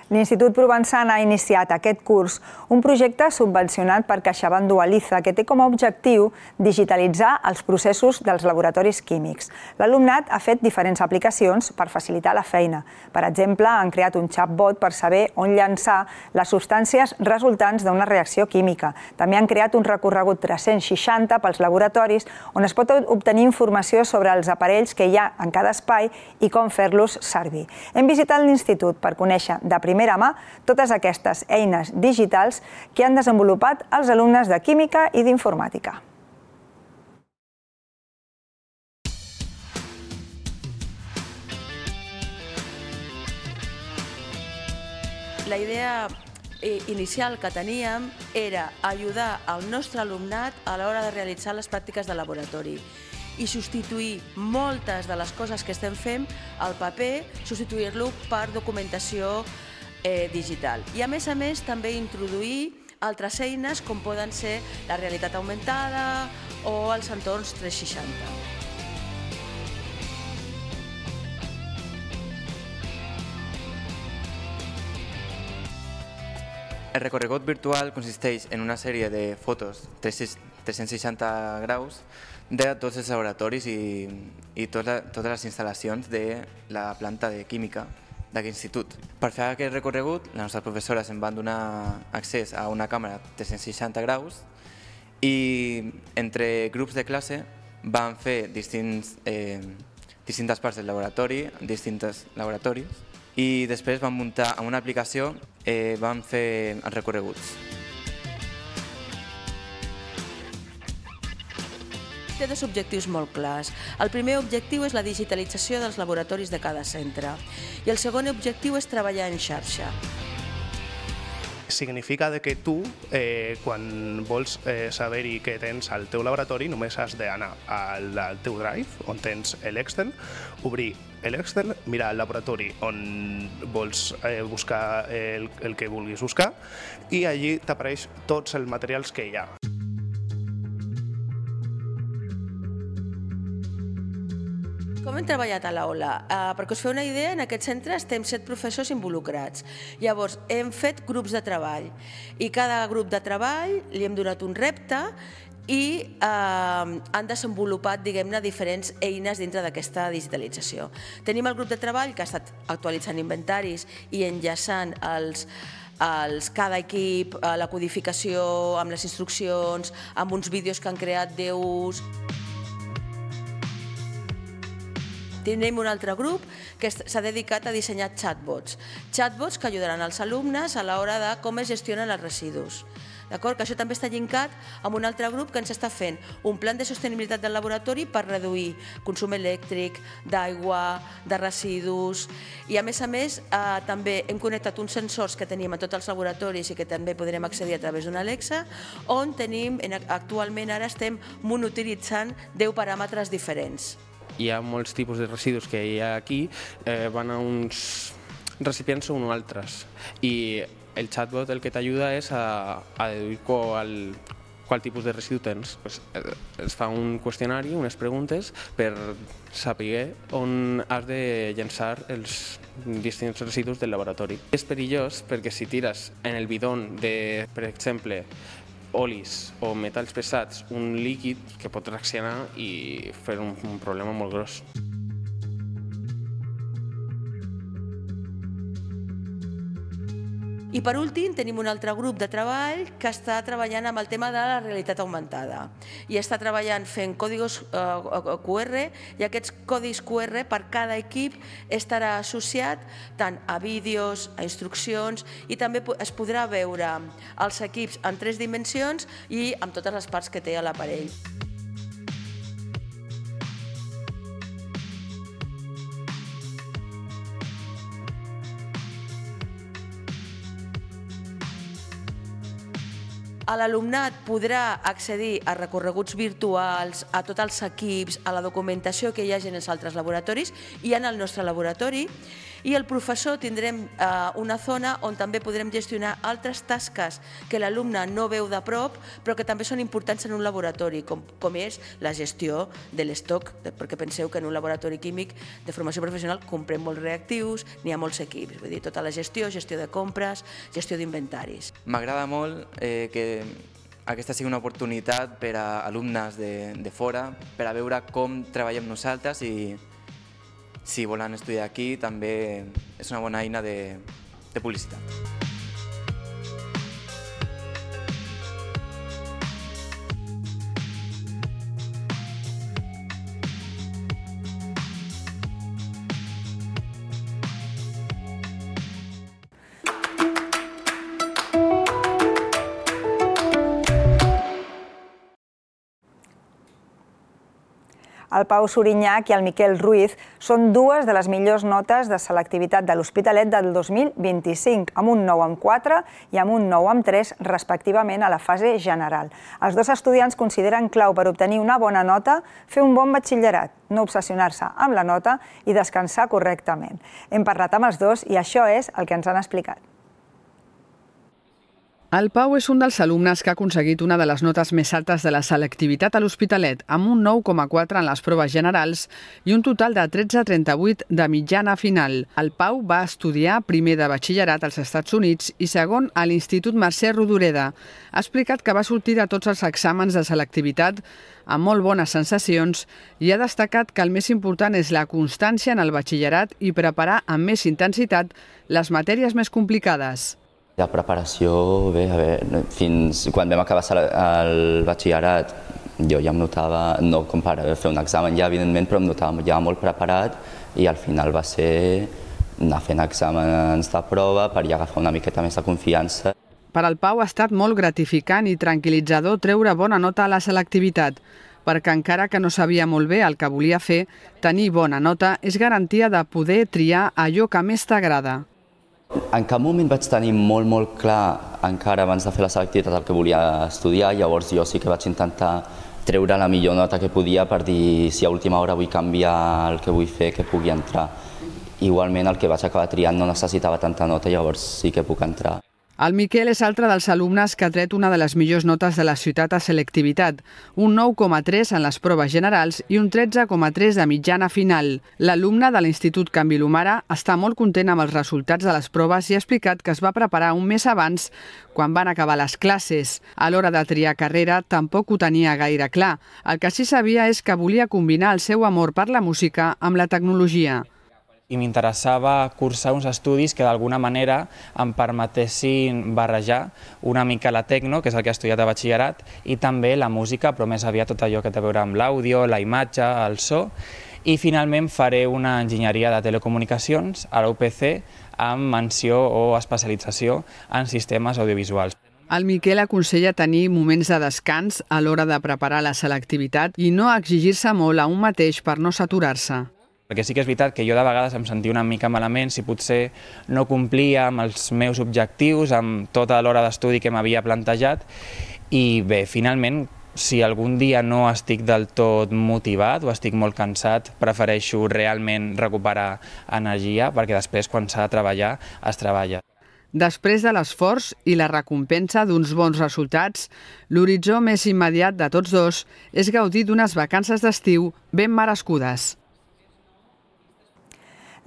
L'Institut Provençana ha iniciat aquest curs un projecte subvencionat per CaixaBank Dualiza que té com a objectiu digitalitzar els processos dels laboratoris químics. L'alumnat ha fet diferents aplicacions per facilitar la feina. Per exemple, han creat un chatbot per saber on llançar les substàncies resultants d'una reacció química. També han creat un recorregut 360 pels laboratoris on es pot obtenir informació sobre els aparells que hi ha en cada espai i com fer-los servir. Hem visitat l'Institut per conèixer de primera mà totes aquestes eines digitals que han desenvolupat els alumnes de Química i d'Informàtica. La idea inicial que teníem era ajudar el nostre alumnat a l'hora de realitzar les pràctiques de laboratori i substituir moltes de les coses que estem fent al paper, substituir-lo per documentació digital. I a més també introduir altres eines com poden ser la realitat augmentada o els entorns 360. El recorregut virtual consisteix en una sèrie de fotos 360 graus de tots els laboratoris i totes les instal·lacions de la planta de química d'aquest institut. Per fer aquest recorregut, les nostres professores em van donar accés a una càmera 360 graus i entre grups de classe van fer distintes parts del laboratori, distints laboratoris, i després van muntar amb una aplicació, van fer els recorreguts. Té dos objectius molt clars. El primer objectiu és la digitalització dels laboratoris de cada centre i el segon objectiu és treballar en xarxa. Significa que tu, quan vols saber-hi què tens al teu laboratori, només has d'anar al teu Drive, on tens l'Excel, obrir l'Excel, mirar el laboratori on vols buscar el que vulguis buscar i allí t'apareix tots els materials que hi ha. Com hem treballat a l'aula? Perquè us feu una idea, en aquest centre estem 7 professors involucrats. Llavors, hem fet grups de treball i cada grup de treball li hem donat un repte i han desenvolupat, diguem-ne, diferents eines dintre d'aquesta digitalització. Tenim el grup de treball que ha estat actualitzant inventaris i enllaçant cada equip, la codificació amb les instruccions, amb uns vídeos que han creat d'ús. Tenim un altre grup que s'ha dedicat a dissenyar chatbots que ajudaran als alumnes a l'hora de com es gestionen els residus. Que això també està llinkat amb un altre grup que ens està fent un plan de sostenibilitat del laboratori per reduir consum elèctric, d'aigua, de residus i a més també hem connectat uns sensors que tenim a tots els laboratoris i que també podrem accedir a través d'una Alexa on tenim, actualment ara estem monitoritzant 10 paràmetres diferents. Hi ha molts tipus de residus que hi ha aquí, van a uns recipients o uns altres i el chatbot el que t'ajuda és a deduir qual tipus de residu tens. Es fa un qüestionari, unes preguntes, per saber on has de llançar els distints residus del laboratori. És perillós perquè si tires en el bidon de, per exemple, olis o metalls pesats, un líquid que pot reaccionar i fer un problema molt gros. I per últim tenim un altre grup de treball que està treballant amb el tema de la realitat augmentada i està treballant fent còdigos QR i aquests codis QR per cada equip estarà associat tant a vídeos, a instruccions i també es podrà veure els equips en 3 dimensions i amb totes les parts que té a l'aparell. L'alumnat podrà accedir a recorreguts virtuals, a tots els equips, a la documentació que hi hagi en els altres laboratoris i en el nostre laboratori. I el professor tindrem una zona on també podrem gestionar altres tasques que l'alumne no veu de prop, però que també són importants en un laboratori, com és la gestió de l'estoc, perquè penseu que en un laboratori químic de formació professional comprem molts reactius, n'hi ha molts equips, vull dir, tota la gestió de compres, gestió d'inventaris. M'agrada molt que aquesta sigui una oportunitat per a alumnes de fora, per a veure com treballem nosaltres i si volen estudiar aquí també és una bona eina de publicitat. El Pau Suriñach i el Miquel Ruiz són dues de les millors notes de selectivitat de l'Hospitalet del 2025, amb un 9,4 i amb un 9,3 respectivament a la fase general. Els dos estudiants consideren clau per obtenir una bona nota fer un bon batxillerat, no obsessionar-se amb la nota i descansar correctament. Hem parlat amb els dos i això és el que ens han explicat. El Pau és un dels alumnes que ha aconseguit una de les notes més altes de la selectivitat a l'Hospitalet, amb un 9,4 en les proves generals i un total de 13,38 de mitjana final. El Pau va estudiar primer de batxillerat als Estats Units i segon a l'Institut Mercè Rodoreda. Ha explicat que va sortir de tots els exàmens de selectivitat amb molt bones sensacions i ha destacat que el més important és la constància en el batxillerat i preparar amb més intensitat les matèries més complicades. La preparació, bé, fins quan vam acabar el batxillerat jo ja em notava, no com per fer un examen ja evidentment, però em notava ja molt preparat i al final va ser anar fent exàmens de prova per ja agafar una miqueta més de confiança. Per al Pau ha estat molt gratificant i tranquil·litzador treure bona nota a la selectivitat, perquè encara que no sabia molt bé el que volia fer, tenir bona nota és garantia de poder triar allò que més t'agrada. En cap moment vaig tenir molt clar, encara abans de fer la selectivitat, el que volia estudiar, llavors jo sí que vaig intentar treure la millor nota que podia per dir si a última hora vull canviar el que vull fer, que pugui entrar. Igualment el que vaig acabar triant no necessitava tanta nota, llavors sí que puc entrar. El Miquel és altre dels alumnes que ha tret una de les millors notes de la ciutat a selectivitat, un 9,3 en les proves generals i un 13,3 de mitjana final. L'alumne de l'Institut Can Vilomara està molt content amb els resultats de les proves i ha explicat que es va preparar un mes abans, quan van acabar les classes. A l'hora de triar carrera tampoc ho tenia gaire clar. El que sí sabia és que volia combinar el seu amor per la música amb la tecnologia. I m'interessava cursar uns estudis que d'alguna manera em permetessin barrejar una mica la tecno, que és el que he estudiat a batxillerat, i també la música, però més aviat tot allò que té a veure amb l'àudio, la imatge, el so, i finalment faré una enginyeria de telecomunicacions a la UPC amb menció o especialització en sistemes audiovisuals. El Miquel aconsella tenir moments de descans a l'hora de preparar la selectivitat i no exigir-se molt a un mateix per no saturar-se. Perquè sí que és veritat que jo de vegades em sentia una mica malament si potser no complia amb els meus objectius, amb tota l'hora d'estudi que m'havia plantejat i bé, finalment, si algun dia no estic del tot motivat o estic molt cansat, prefereixo realment recuperar energia perquè després quan s'ha de treballar, es treballa. Després de l'esforç i la recompensa d'uns bons resultats, l'horitzó més immediat de tots dos és gaudir d'unes vacances d'estiu ben merescudes.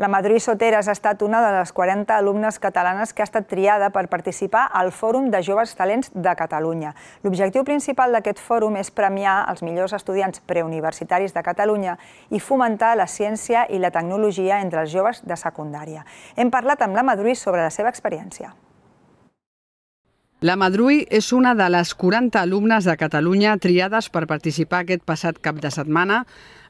La Madruy Soteras ha estat una de les 40 alumnes catalanes que ha estat triada per participar al Fòrum de Joves Talents de Catalunya. L'objectiu principal d'aquest fòrum és premiar els millors estudiants preuniversitaris de Catalunya i fomentar la ciència i la tecnologia entre els joves de secundària. Hem parlat amb la Madruy sobre la seva experiència. La Madruy és una de les 40 alumnes de Catalunya triades per participar aquest passat cap de setmana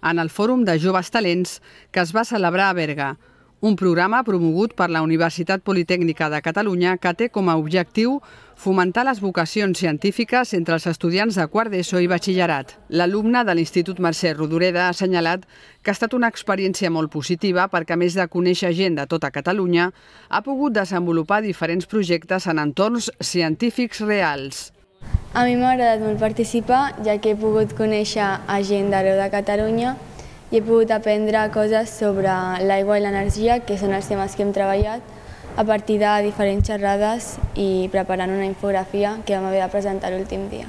en el Fòrum de Joves Talents que es va celebrar a Berga, un programa promogut per la Universitat Politècnica de Catalunya que té com a objectiu fomentar les vocacions científiques entre els estudiants de quart d'ESO i batxillerat. L'alumne de l'Institut Mercè Rodoreda ha assenyalat que ha estat una experiència molt positiva perquè, a més de conèixer gent de tota Catalunya, ha pogut desenvolupar diferents projectes en entorns científics reals. A mi m'ha agradat molt participar, ja que he pogut conèixer a gent d'arreu de Catalunya i he pogut aprendre coses sobre l'aigua i l'energia, que són els temes que hem treballat, a partir de diferents xerrades i preparant una infografia que vam haver de presentar l'últim dia.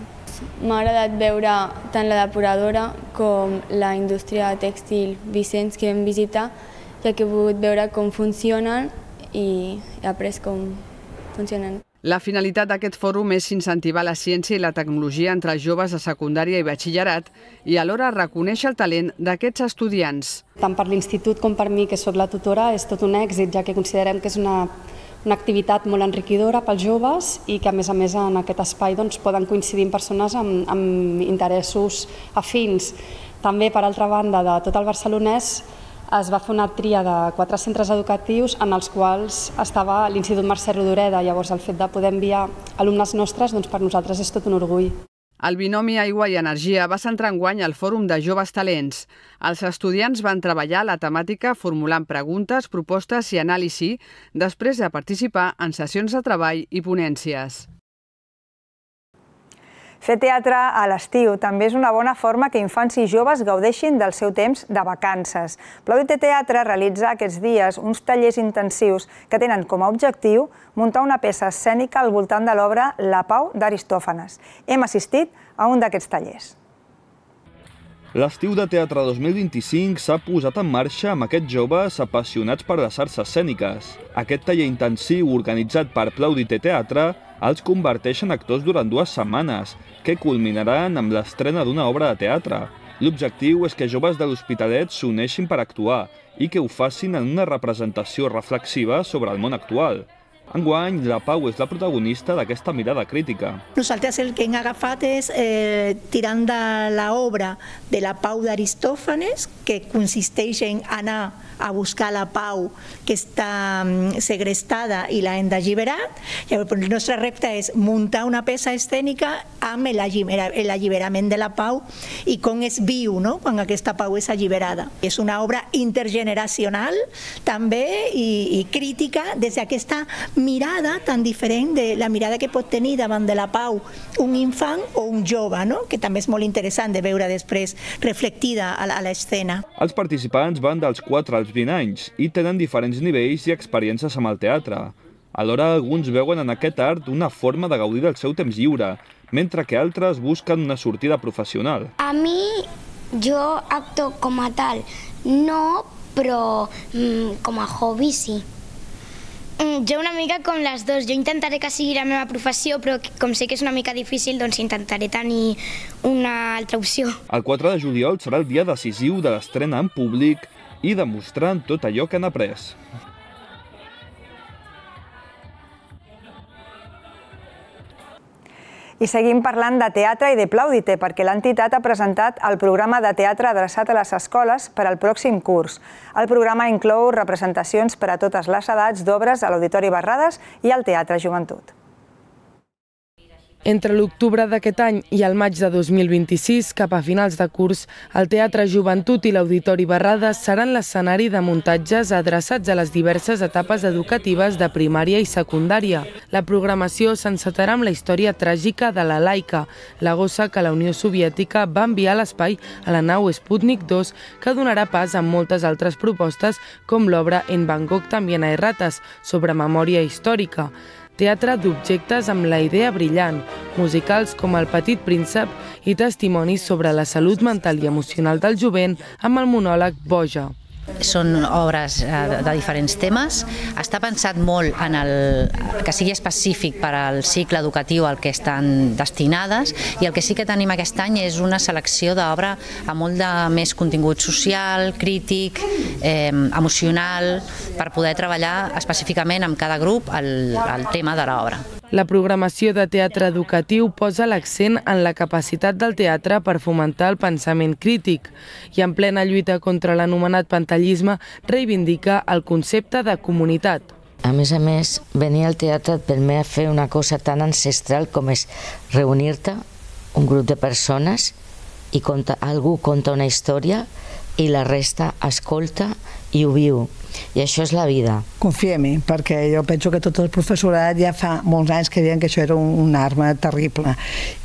M'ha agradat veure tant la depuradora com la indústria tèxtil Vicenç que vam visitar, ja que he pogut veure com funcionen i he après com funcionen. La finalitat d'aquest fòrum és incentivar la ciència i la tecnologia entre els joves de secundària i batxillerat i alhora reconèixer el talent d'aquests estudiants. Tant per l'Institut com per mi, que soc la tutora, és tot un èxit, ja que considerem que és una activitat molt enriquidora pels joves i que, a més en aquest espai poden coincidir persones amb interessos afins. També, per altra banda, de tot el barcelonès, es va fer una tria de 4 centres educatius en els quals estava l'Institut Mercè Rodoreda. Llavors, el fet de poder enviar alumnes nostres, per nosaltres és tot un orgull. El binomi aigua i energia va centrar enguany al Fòrum de Joves Talents. Els estudiants van treballar la temàtica formulant preguntes, propostes i anàlisi després de participar en sessions de treball i ponències. Fer teatre a l'estiu també és una bona forma que infants i joves gaudeixin del seu temps de vacances. Plaudite Teatre realitza aquests dies uns tallers intensius que tenen com a objectiu muntar una peça escènica al voltant de l'obra La Pau d'Aristòfanes. Hem assistit a un d'aquests tallers. L'estiu de teatre 2025 s'ha posat en marxa amb aquests joves apassionats per les arts escèniques. Aquest taller intensiu organitzat per Plaudite Teatre els converteix en actors durant 2 setmanes, que culminaran amb l'estrena d'una obra de teatre. L'objectiu és que joves de l'Hospitalet s'uneixin per actuar i que ho facin en una representació reflexiva sobre el món actual. Enguany, la Pau és la protagonista d'aquesta mirada crítica. Nosaltres el que hem agafat és tirant de l'obra de la Pau d'Aristòfanes, que consisteix en anar a buscar la Pau que està segrestada i l'hem d'alliberar. El nostre repte és muntar una peça escènica amb l'alliberament de la Pau i com es viu quan aquesta Pau és alliberada. És una obra intergeneracional també i crítica des d'aquesta mirada tan diferent de la mirada que pot tenir davant de la Pau un infant o un jove, que també és molt interessant de veure després reflectida a l'escena. Els participants van dels 4 als 20 anys i tenen diferents nivells i experiències amb el teatre. Alhora, alguns veuen en aquest art una forma de gaudir del seu temps lliure, mentre que altres busquen una sortida professional. A mi, jo acto com a tal, no, però com a hobby sí. Jo una mica com les dues. Jo intentaré que sigui la meva professió, però com sé que és una mica difícil, doncs intentaré tenir una altra opció. El 4 de juliol serà el dia decisiu de l'estrena en públic i demostrant tot allò que han après. I seguim parlant de teatre i de Plaudite, perquè l'entitat ha presentat el programa de teatre adreçat a les escoles per al pròxim curs. El programa inclou representacions per a totes les edats d'obres a l'Auditori Barrades i al Teatre Joventut. Entre l'octubre d'aquest any i el maig de 2026, cap a finals de curs, el Teatre Joventut i l'Auditori Barrades seran l'escenari de muntatges adreçats a les diverses etapes educatives de primària i secundària. La programació s'encetarà amb la història tràgica de la Laika, la gossa que la Unió Soviètica va enviar a l'espai a la nau Sputnik 2, que donarà pas a moltes altres propostes, com l'obra En Bangkok también hay ratas, sobre memòria històrica. Teatre d'objectes amb la idea brillant, musicals com El Petit Príncep i testimonis sobre la salut mental i emocional del jovent amb el monòleg Boja. Són obres de diferents temes. Està pensat molt en que sigui específic per al cicle educatiu al que estan destinades, i el que sí que tenim aquest any és una selecció d'obra amb molt de més contingut social, crític, emocional, per poder treballar específicament amb cada grup el tema de l'obra. La programació de teatre educatiu posa l'accent en la capacitat del teatre per fomentar el pensament crític i en plena lluita contra l'anomenat pantallisme reivindica el concepte de comunitat. A més, venir al teatre et permet fer una cosa tan ancestral com és reunir-te, un grup de persones, i algú conta una història i la resta escolta i ho viu. I això és la vida. Confia-m'hi, perquè jo penso que tot el professorat ja fa molts anys que deien que això era una arma terrible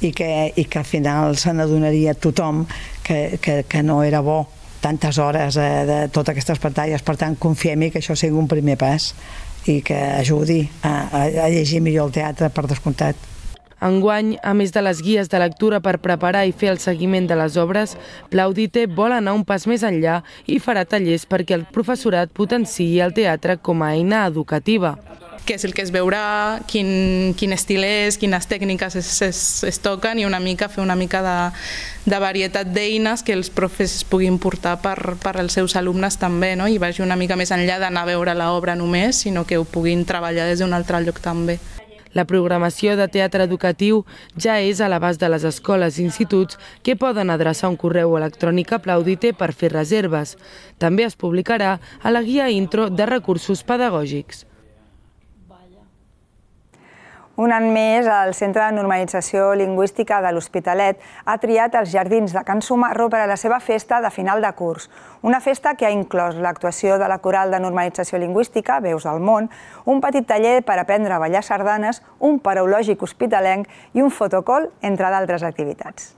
i que al final se n'adonaria tothom que no era bo tantes hores de totes aquestes pantalles. Per tant, confia-m'hi que això sigui un primer pas i que ajudi a llegir millor el teatre, per descomptat. Enguany, a més de les guies de lectura per preparar i fer el seguiment de les obres, Plaudite vol anar un pas més enllà i farà tallers perquè el professorat potenciï el teatre com a eina educativa. Què és el que es veurà, quin estil és, quines tècniques es toquen, i fer una mica de varietat d'eines que els profes puguin portar per als seus alumnes també, no? I vagi una mica més enllà d'anar a veure l'obra només, sinó que ho puguin treballar des d'un altre lloc també. La programació de teatre educatiu ja és a l'abast de les escoles i instituts, que poden adreçar un correu electrònic a Plaudite per fer reserves. També es publicarà a la guia intro de recursos pedagògics. Un any més, el Centre de Normalització Lingüística de l'Hospitalet ha triat els Jardins de Can Sumarro per a la seva festa de final de curs. Una festa que ha inclòs l'actuació de la Coral de Normalització Lingüística, Veus del Món, un petit taller per aprendre a ballar sardanes, un paraulògic hospitalenc i un fotocall, entre d'altres activitats.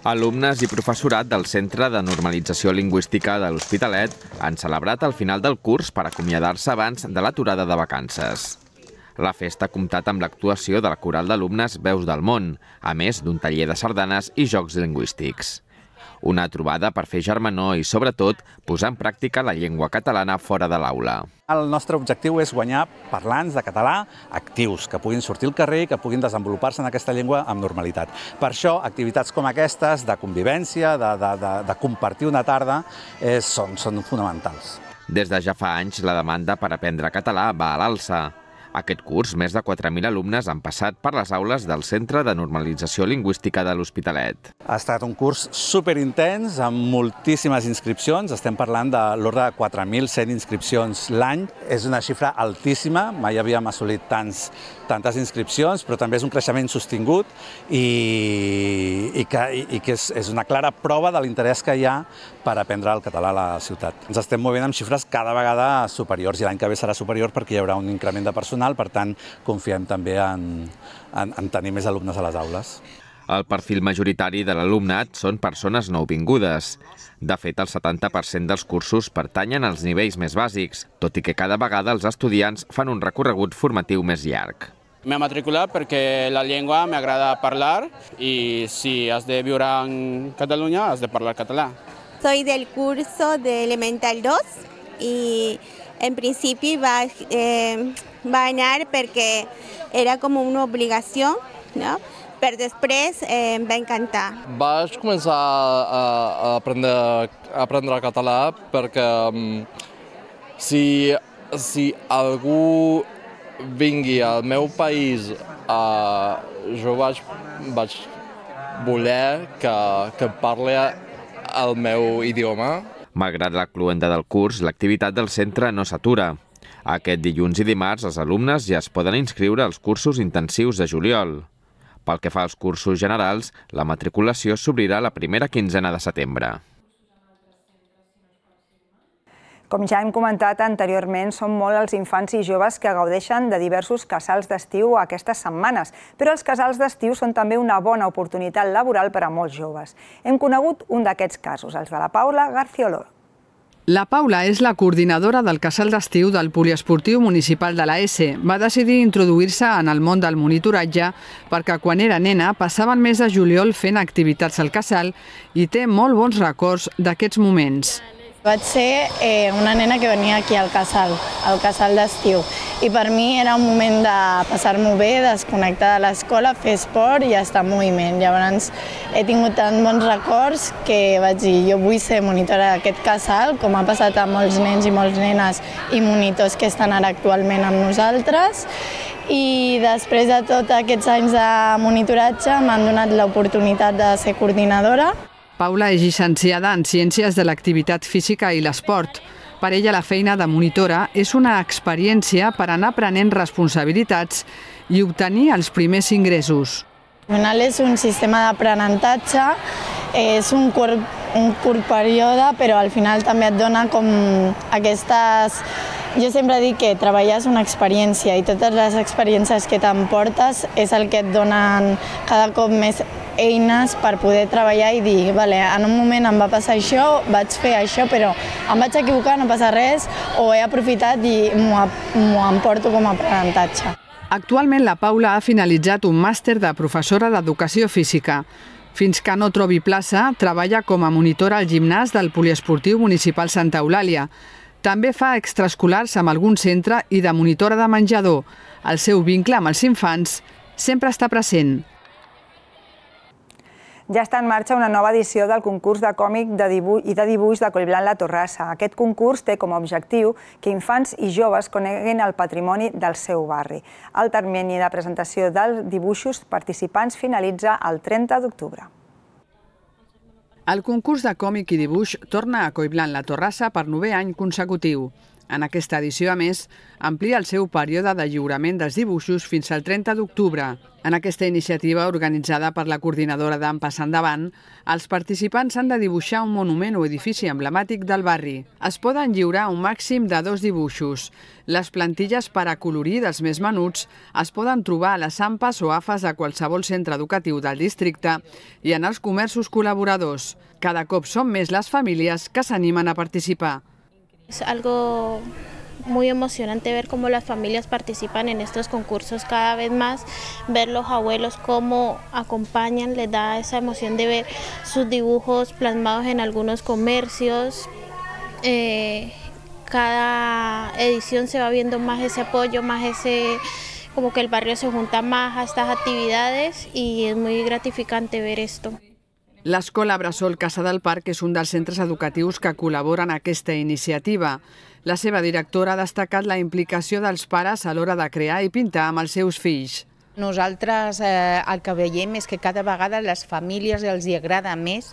Alumnes i professorat del Centre de Normalització Lingüística de l'Hospitalet han celebrat el final del curs per acomiadar-se abans de l'aturada de vacances. La festa ha comptat amb l'actuació de la coral d'alumnes Veus del Món, a més d'un taller de sardanes i jocs lingüístics. Una trobada per fer germanor i, sobretot, posar en pràctica la llengua catalana fora de l'aula. El nostre objectiu és guanyar parlants de català actius, que puguin sortir al carrer i que puguin desenvolupar-se en aquesta llengua amb normalitat. Per això, activitats com aquestes, de convivència, de compartir una tarda, són fonamentals. Des de ja fa anys, la demanda per aprendre català va a l'alça. Aquest curs, més de 4.000 alumnes han passat per les aules del Centre de Normalització Lingüística de l'Hospitalet. Ha estat un curs superintens, amb moltíssimes inscripcions. Estem parlant de l'ordre de 4.100 inscripcions l'any. És una xifra altíssima, mai havíem assolit tantes inscripcions, però també és un creixement sostingut i que és una clara prova de l'interès que hi ha per aprendre el català a la ciutat. Ens estem movent amb xifres cada vegada superiors, i l'any que ve serà superior perquè hi haurà un increment de personal, per tant, confiem també en tenir més alumnes a les aules. El perfil majoritari de l'alumnat són persones nouvingudes. De fet, el 70% dels cursos pertanyen als nivells més bàsics, tot i que cada vegada els estudiants fan un recorregut formatiu més llarg. M'he matriculat perquè la llengua m'agrada parlar i si has de viure en Catalunya has de parlar català. Soy del curso de Elemental 2 y en principi va anar perquè era com una obligació, no? Però després em va encantar. Vaig començar a aprendre català perquè si algú vingui al meu país, jo vaig voler que parli el meu idioma. Malgrat la cloenda del curs, l'activitat del centre no s'atura. Aquest dilluns i dimarts els alumnes ja es poden inscriure als cursos intensius de juliol. Pel que fa als cursos generals, la matriculació s'obrirà la primera quinzena de setembre. Com ja hem comentat anteriorment, són molt els infants i joves que gaudeixen de diversos casals d'estiu aquestes setmanes, però els casals d'estiu són també una bona oportunitat laboral per a molts joves. Hem conegut un d'aquests casos, els de la Paula Garcioló. La Paula és la coordinadora del casal d'estiu del Poliesportiu Municipal de la ESE. Va decidir introduir-se en el món del monitoratge perquè quan era nena passava el mes de juliol fent activitats al casal i té molt bons records d'aquests moments. Vaig ser una nena que venia aquí al casal d'estiu, i per mi era un moment de passar-m'ho bé, desconnectar de l'escola, fer esport i estar en moviment. Llavors he tingut tan bons records que vaig dir, jo vull ser monitora d'aquest casal, com ha passat a molts nens i molts nenes i monitors que estan ara actualment amb nosaltres. I després de tots aquests anys de monitoratge m'han donat l'oportunitat de ser coordinadora. Paula és llicenciada en Ciències de l'Activitat Física i l'Esport. Per ella la feina de monitora és una experiència per anar prenent responsabilitats i obtenir els primers ingressos. Al final és un sistema d'aprenentatge, és un curt període, però al final també et dona com aquestes... Jo sempre dic que treballar és una experiència i totes les experiències que t'emportes és el que et donen cada cop més eines per poder treballar i dir, vale, en un moment em va passar això, vaig fer això, però em vaig equivocar, no passa res, o he aprofitat i m'ho emporto com a aprenentatge. Actualment la Paula ha finalitzat un màster de professora d'Educació Física. Fins que no trobi plaça, treballa com a monitora al gimnàs del Poliesportiu Municipal Santa Eulàlia. També fa extraescolars amb algun centre i de monitora de menjador. El seu vincle amb els infants sempre està present. Ja està en marxa una nova edició del concurs de còmic i de dibuix de Collblanc La Torrassa. Aquest concurs té com a objectiu que infants i joves coneguin el patrimoni del seu barri. El termini de presentació dels dibuixos participants finalitza el 30 d'octubre. El concurs de còmic i dibuix torna a Collblanc La Torrassa per 9è any consecutiu. En aquesta edició, a més, amplia el seu període de lliurament dels dibuixos fins al 30 d'octubre. En aquesta iniciativa, organitzada per la coordinadora d'Ampas Endavant, els participants han de dibuixar un monument o edifici emblemàtic del barri. Es poden lliurar un màxim de 2 dibuixos. Les plantilles per acolorir dels més menuts es poden trobar a les AMPAs o AFAs de qualsevol centre educatiu del districte i en els comerços col·laboradors. Cada cop són més les famílies que s'animen a participar. Es algo muy emocionante ver cómo las familias participan en estos concursos cada vez más, ver los abuelos cómo acompañan, les da esa emoción de ver sus dibujos plasmados en algunos comercios. Cada edición se va viendo más ese apoyo, más ese, como que el barrio se junta más a estas actividades y es muy gratificante ver esto. L'Escola Bressol Casa del Parc és un dels centres educatius que col·laboren en aquesta iniciativa. La seva directora ha destacat la implicació dels pares a l'hora de crear i pintar amb els seus fills. Nosaltres el que veiem és que cada vegada les famílies els agrada més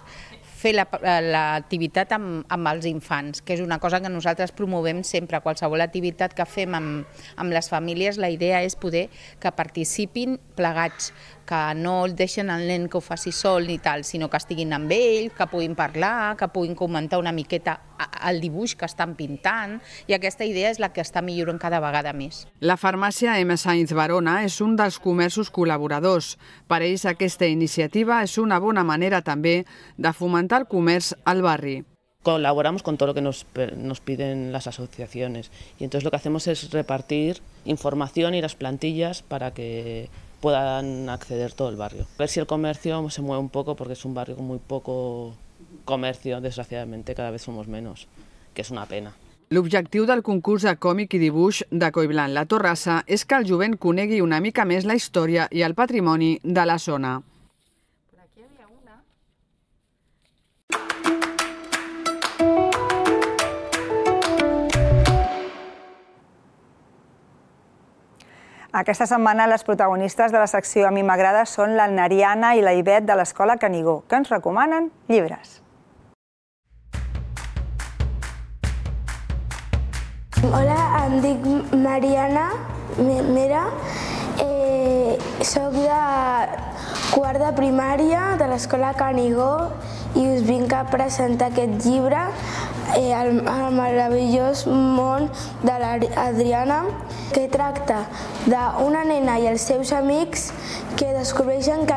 fer l'activitat amb els infants, que és una cosa que nosaltres promovem sempre. Qualsevol activitat que fem amb les famílies, la idea és poder que participin plegats, que no deixen el nen que ho faci sol ni tal, sinó que estiguin amb ell, que puguin parlar, que puguin comentar una miqueta el dibuix que estan pintant, i aquesta idea és la que està millorant cada vegada més. La farmàcia M. Sainz Barona és un dels comerços col·laboradors. Per ells aquesta iniciativa és una bona manera també de fomentar el comerç al barri. Colaboramos con todo lo que nos piden las asociaciones y entonces lo que hacemos es repartir información y las plantillas para que puedan acceder todo el barrio. A ver si el comercio se mueve un poco porque es un barrio con muy poco comercio, desgraciadamente cada vez somos menos, que és una pena. L'objectiu del concurs de còmic i dibuix de Collblanc La Torrassa és que el jovent conegui una mica més la història i el patrimoni de la zona. Aquesta setmana les protagonistes de la secció A mi m'agrada són la Nariana i la Ivet de l'Escola Canigó, que ens recomanen llibres. Hola a Em dic Mariana Mera, soc de quart de primària de l'escola Canigó i us vinc a presentar aquest llibre, El meravellós món de l'Adriana, que tracta d'una nena i els seus amics que descobreixen que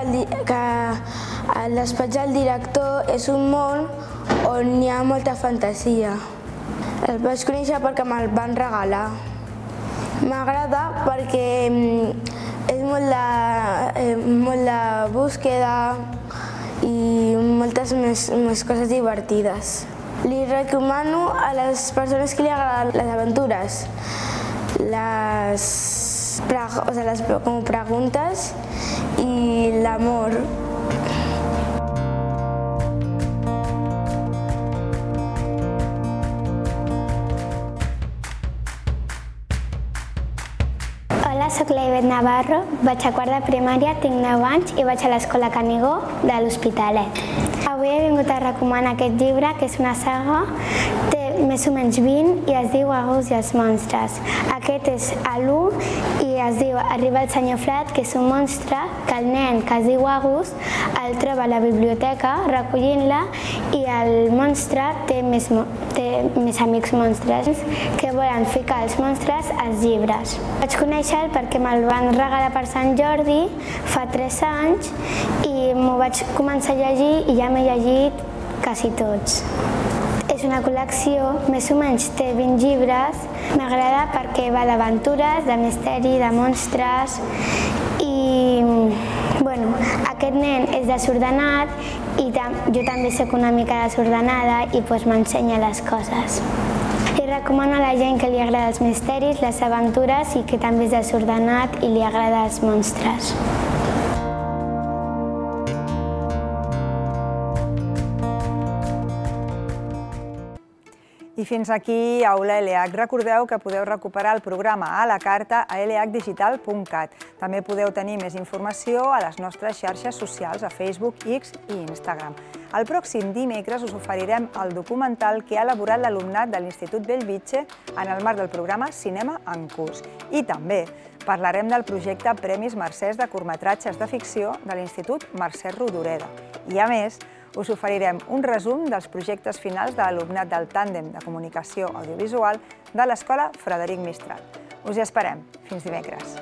el despatx del director és un món on hi ha molta fantasia. El vaig conèixer perquè me'l van regalar. M'agrada perquè és molt de búsqueda i moltes més coses divertides. Li recomano a les persones que li agraden les aventures, les preguntes i l'amor. Hola, soc l'Ivet Navarro, vaig a quart de primària, tinc 9 anys i vaig a l'escola Canigó de l'Hospitalet. Avui he vingut a recomanar aquest llibre, que és una saga, té més o menys 20 i es diu Agus i els monstres. Aquest és l'1 i es diu Arriba el senyor Fred, que és un monstre que el nen que es diu Agus el troba a la biblioteca recollint-la i el monstre té més amics monstres que volen ficar els monstres als llibres. Vaig conèixer-lo perquè me'l van regalar per Sant Jordi fa 3 anys i m'ho vaig començar a llegir i ja m'he llegit quasi tots. És una col·lecció, més o menys té 20 llibres. M'agrada perquè va d'aventures, de misteri, de monstres i aquest nen és desordenat i jo també soc una mica desordenada i m'ensenya les coses. Li recomano a la gent que li agrada els misteris, les aventures i que també és desordenat i li agrada els monstres. I fins aquí Aula ELEAC. Recordeu que podeu recuperar el programa a la carta a eleacdigital.cat. També podeu tenir més informació a les nostres xarxes socials, a Facebook, X i Instagram. El pròxim dimecres us oferirem el documental que ha elaborat l'alumnat de l'Institut Bellvitge en el marc del programa Cinema en Curs. I també parlarem del projecte Premis Mercès de curtmetratges de ficció de l'Institut Mercè Rodoreda. I a més, us oferirem un resum dels projectes finals de l'alumnat del tàndem de comunicació audiovisual de l'Escola Frederic Mistral. Us hi esperem. Fins dimecres.